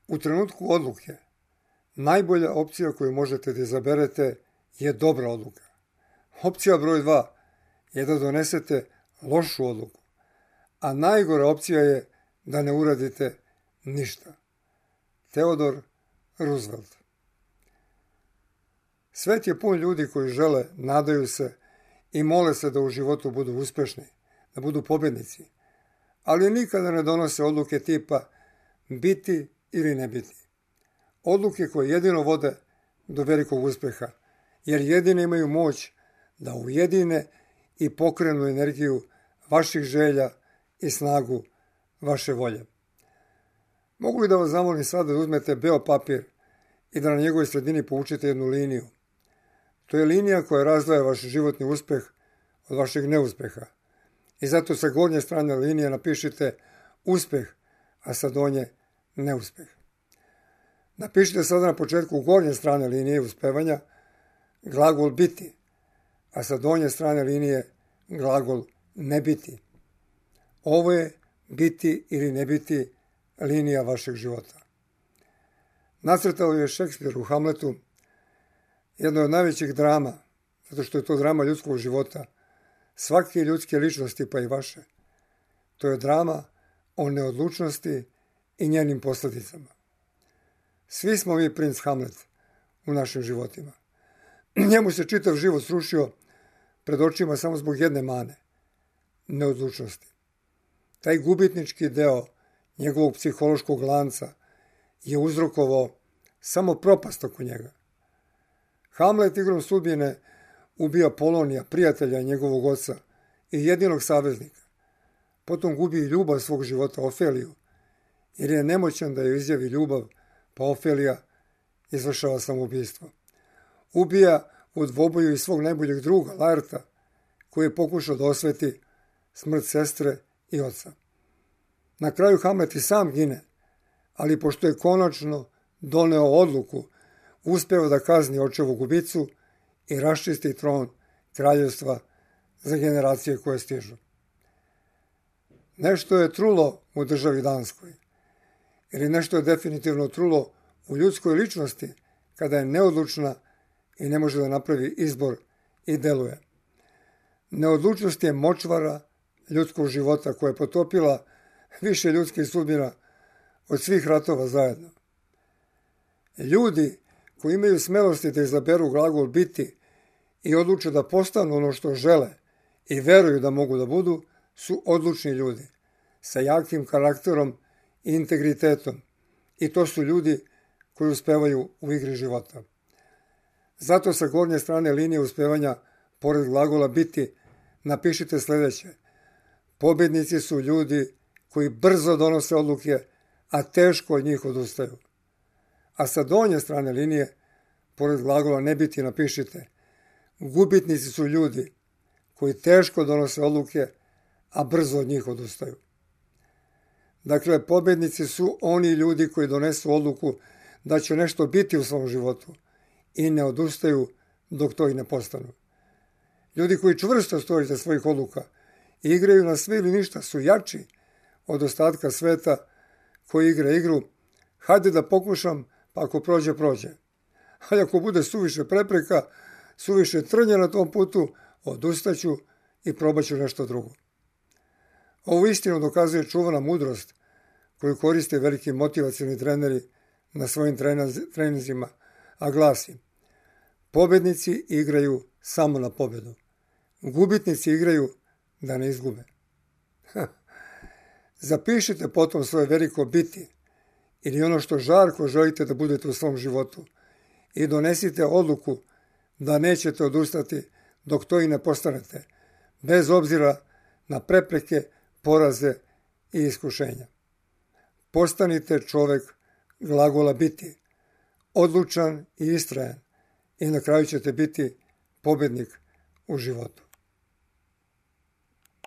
U trenutku odluke, najbolja opcija koju možete da izaberete je dobra odluka. Opcija broj 2 je da donesete lošu odluku, a najgora opcija je da ne uradite ništa. Theodore Roosevelt. Svet je pun ljudi koji žele, nadaju se i mole se da u životu budu uspešni, da budu pobednici, ali nikada ne donose odluke tipa biti ili ne biti. Odluke koje jedino vode do velikog uspeha, jer jedine imaju moć da ujedine i pokrenu energiju vaših želja i snagu vaše volje. Mogu li da vas zamolim sada da uzmete beo papir i da na njegovoj sredini povučete jednu liniju? To je linija koja razdvaja vaš životni uspeh od vašeg neuspeha. I zato sa gornje strane linije napišite uspeh, a sa donje neuspeh. Napišite sada na početku gornje strane linije uspevanja glagol biti, a sa donje strane linije glagol ne biti. Ovo je biti ili ne biti linija vašeg života. Nacrtao je Šekspir u Hamletu, jedno od najvećih drama, zato što je to drama ljudskog života, svake ljudske ličnosti pa i vaše. To je drama o neodlučnosti i njenim posljedicama. Svi smo mi princ Hamlet u našim životima. Njemu se čitav život srušio pred očima samo zbog jedne mane, neodlučnosti. Taj gubitnički deo njegovog psihološkog lanca je uzrokovao samo propast oko njega. Hamlet igrom sudbine ubija Polonija, prijatelja njegovog oca i jedinog saveznika. Potom gubi ljubav svog života, Ofeliju, jer je nemoćan da joj izjavi ljubav, pa Ofelija izvršava samoubistvo. Ubija u dvoboju i svog najboljeg druga, Laerta, koji je pokušao da osveti smrt sestre i oca. Na kraju Hamlet i sam gine, ali pošto je konačno doneo odluku, uspeo da kazni očevu gubicu i raščisti tron kraljevstva za generacije koje stižu. Nešto je trulo u državi Danskoj, ili nešto je definitivno trulo u ljudskoj ličnosti kada je neodlučna i ne može da napravi izbor i deluje. Neodlučnost je močvara ljudskog života koja je potopila više ljudskih sudbina od svih ratova zajedno. Ljudi koji imaju smelosti da izaberu glagol biti i odluče da postanu ono što žele i veruju da mogu da budu, su odlučni ljudi sa jakim karakterom i integritetom. I to su ljudi koji uspevaju u igri života. Zato sa gornje strane linije uspevanja, pored glagola biti, napišite sljedeće. Pobjednici su ljudi koji brzo donose odluke, a teško od njih odustaju. A sa donje strane linije, pored glagola ne biti, napišite. Gubitnici su ljudi koji teško donose odluke, a brzo od njih odustaju. Dakle, pobjednici su oni ljudi koji donesu odluku da će nešto biti u svom životu i ne odustaju dok to i ne postanu. Ljudi koji čvrsto stoje iza svojih odluka i igraju na sve ili ništa su jači od ostatka sveta koji igra igru. Hajde da pokušam, pa ako prođe, prođe. Ali ako bude suviše prepreka, suviše trnja na tom putu, odustaću i probaću nešto drugo. Ovu istinu dokazuje čuvana mudrost koju koriste veliki motivacioni treneri na svojim treninzima, a glasi: pobednici igraju samo na pobedu. Gubitnici igraju da ne izgube. Zapišite potom svoje veliko biti ili ono što žarko želite da budete u svom životu i donesite odluku da nećete odustati dok to i ne postanete, bez obzira na prepreke, poraze i iskušenja. Postanite čovek glagola biti, odlučan i istrajan i na kraju ćete biti pobednik u životu.